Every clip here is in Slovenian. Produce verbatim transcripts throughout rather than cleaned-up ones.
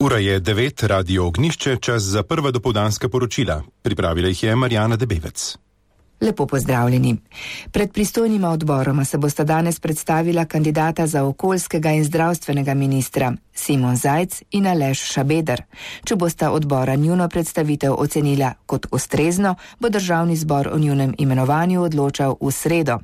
Ura je devet, Radio Ognjišče, čas za prva dopoldanska poročila. Pripravila jih je Marjana Debevec. Lepo pozdravljeni. Pred pristojnima odboroma se bosta danes predstavila kandidata za okoljskega in zdravstvenega ministra Simon Zajc in Aleš Šabeder. Če bosta odbora njuno predstavitev ocenila kot ustrezno, bo državni zbor o njunem imenovanju odločal v sredo.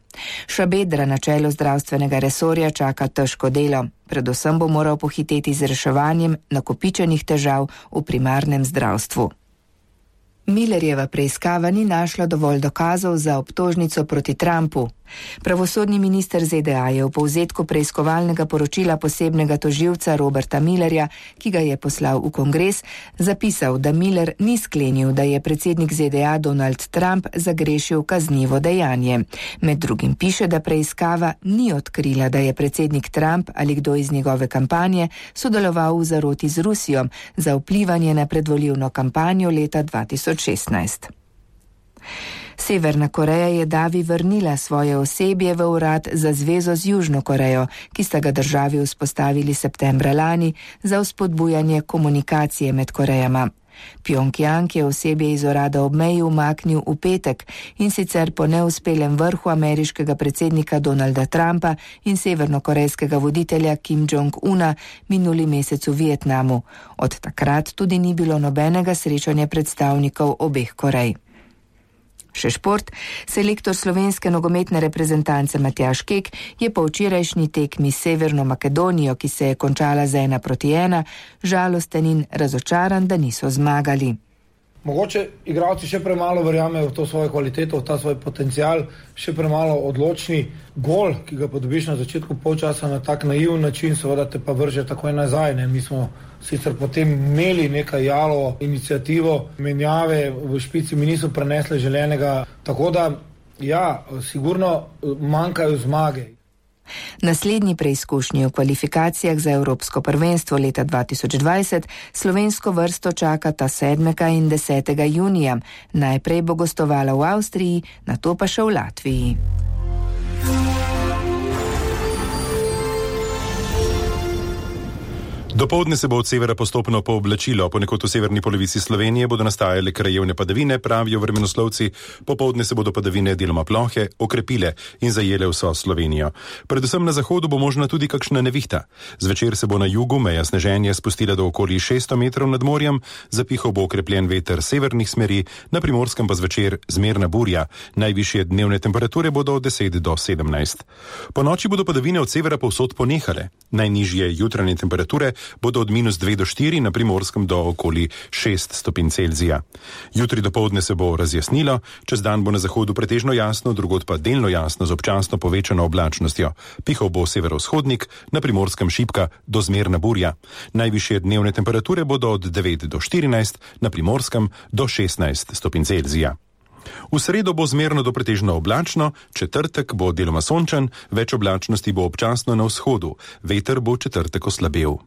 Šabedra na čelu zdravstvenega resorja čaka težko delo. Predvsem bo moral pohiteti z reševanjem nakopičenih težav v primarnem zdravstvu. Millerjeva preiskava ni našla dovolj dokazov za obtožnico proti Trumpu. Pravosodni minister Z D A je v povzetku preiskovalnega poročila posebnega tožilca Roberta Millerja, ki ga je poslal v kongres, zapisal, da Miller ni sklenil, da je predsednik Z D A Donald Trump zagrešil kaznivo dejanje. Med drugim piše, da preiskava ni odkrila, da je predsednik Trump ali kdo iz njegove kampanje sodeloval v zaroti z Rusijo za vplivanje na predvolilno kampanjo leta dva tisoč šestnajst. Severna Koreja je davi vrnila svoje osebje v urad za zvezo z Južno Korejo, ki sta ga državi vzpostavili septembra lani za vzpodbujanje komunikacije med Korejama. Pjongjang je osebje iz urada ob meji umaknil v petek in sicer po neuspelem vrhu ameriškega predsednika Donalda Trumpa in severnokorejskega voditelja Kim Jong-una minuli mesec v Vietnamu. Od takrat tudi ni bilo nobenega srečanja predstavnikov obeh Korej. Še šport. Selektor slovenske nogometne reprezentance Matjaž Kek je po včerajšnji tekmi s Severno Makedonijo, ki se je končala z ena proti ena, žalosten in razočaran, da niso zmagali. Mogoče igralci še premalo verjamejo v to svojo kvaliteto, v ta svoj potencial, še premalo odločni. Gol, ki ga podobiš na začetku polčasa na tak naiven način, seveda te pa vrže takoj nazaj. Ne? Mi smo sicer potem imeli nekaj jalo inicijativo, menjave v špici mi niso prenesle želenega, tako da ja, sigurno manjkajo zmage. Naslednji preizkušnji v kvalifikacijah za Evropsko prvenstvo leta dva tisoč dvajset slovensko vrsto čakata sedmega in desetega junija. Najprej bo gostovala v Avstriji, nato pa še v Latviji. Dopoldne se bo od severa postopno pooblačilo, ponekod v severni polovici Slovenije bodo nastajale krajevne padavine, pravijo vremenoslovci, popoldne se bodo padavine deloma plohe okrepile in zajele vso Slovenijo. Predvsem na zahodu bo možna tudi kakšna nevihta. Zvečer se bo na jugu meja sneženja spustila do okoli šeststo metrov nad morjem, zapihal bo okrepljen veter severnih smeri, na Primorskem pa zvečer zmerna burja. Najvišje dnevne temperature bodo od deset do sedemnajst. Po noči bodo padavine od severa povsod ponehale. Najnižje jutranje temperature bodo od minus dve do štiri, na Primorskem do okoli šest stopinj Celzija. Jutri dopoldne se bo razjasnilo, čez dan bo na zahodu pretežno jasno, drugod pa delno jasno z občasno povečano oblačnostjo. Pihal bo severovzhodnik, na Primorskem šibka do zmerna burja. Najvišje dnevne temperature bodo od devet do štirinajst, na Primorskem do šestnajst stopinj Celzija. V sredo bo zmerno do pretežno oblačno, četrtek bo deloma sončen, več oblačnosti bo občasno na vzhodu, veter bo četrtek oslabel.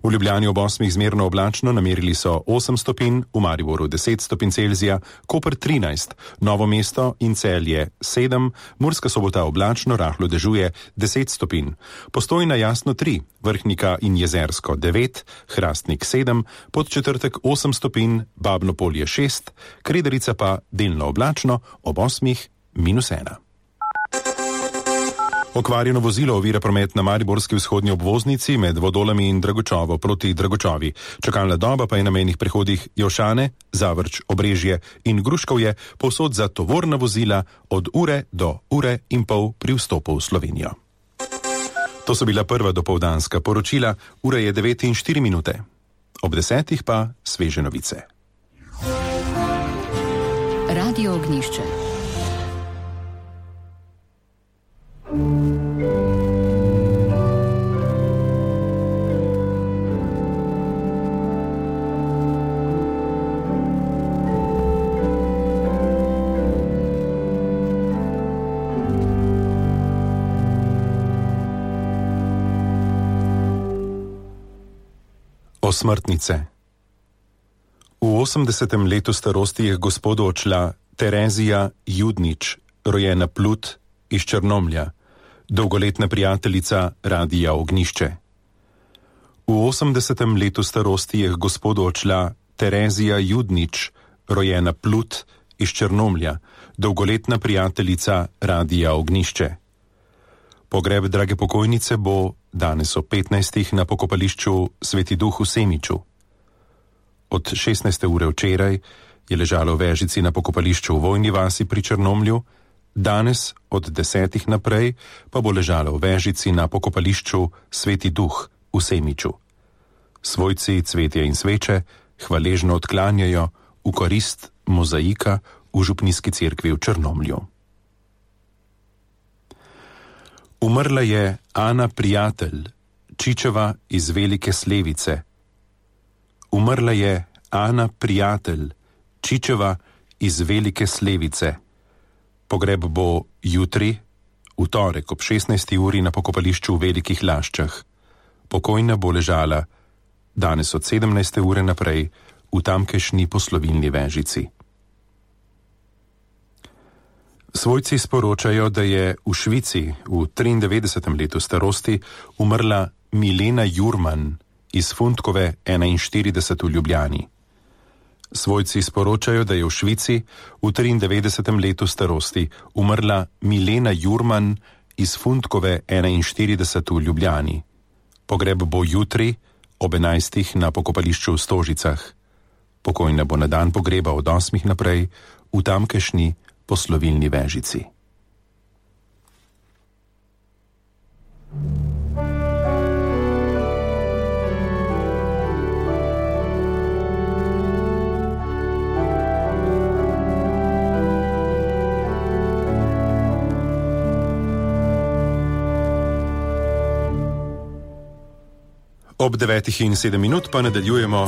V Ljubljani ob osmih zmerno oblačno, namerili so osem stopinj, v Mariboru deset stopinj Celzija, Koper trinajst, Novo mesto in Celje sedem, Murska Sobota oblačno, rahlo dežuje deset stopinj, Postojna jasno tri, Vrhnika in Jezersko devet, Hrastnik sedem, Podčetrtek osem stopinj, Babno Polje šest, Krederica pa delno oblačno, ob osmih minus ena. Okvarjeno vozilo ovira promet na mariborski vzhodni obvoznici med Vodolami in Dragočovo proti Dragočovi. Čakalna doba pa je na mejnih prehodih Jošane, Zavrč, Obrežje in Gruškovje povsod za tovorna vozila od ure do ure in pol pri vstopu v Slovenijo. To so bila prva dopoldanska poročila, ura je devet in štiri minute. Ob desetih pa sveže novice. Radio Ognjišče. Osmrtnice. V osemdesetem letu starosti je k gospodu odšla Terezija Judnič, rojena Plut iz Črnomlja, dolgoletna prijateljica Radia Ognjišče. V osemdesetem letu starosti je k gospodu odšla Terezija Judnič, rojena Plut iz Črnomlja, dolgoletna prijateljica Radia Ognjišče. Pogreb drage pokojnice bo danes ob petnajstih na pokopališču Sveti Duh v Semiču. Od šestnajste ure včeraj je ležala v vežici na pokopališču v Vojni vasi pri Črnomlju, danes od desetih naprej pa bo ležala v vežici na pokopališču Sveti Duh v Semiču. Svojci cvetje in sveče hvaležno odklanjajo v korist mozaika v župnijski cerkvi v Črnomlju. Umrla je Ana Prijatelj, Čičeva iz Velike Slevice. Umrla je Ana Prijatelj, Čičeva iz Velike Slevice. Pogreb bo jutri, v torek ob šestnajsti uri na pokopališču v Velikih Laščah. Pokojna bo ležala danes od sedemnajste ure naprej v tamkajšnji poslovilni vežici. Svojci sporočajo, da je v Švici v triindevetdesetem letu starosti umrla Milena Jurman iz Fundkove enainštirideset v Ljubljani. Svojci sporočajo, da je v Švici v triindevetdesetem letu starosti umrla Milena Jurman iz Fundkove enainštirideset v Ljubljani. Pogreb bo jutri ob enajstih na pokopališču v Stožicah. Pokojna bo na dan pogreba od osmih naprej v tamkajšnji poslovilni vežici. Ob devetih in sedem minut pa nadaljujemo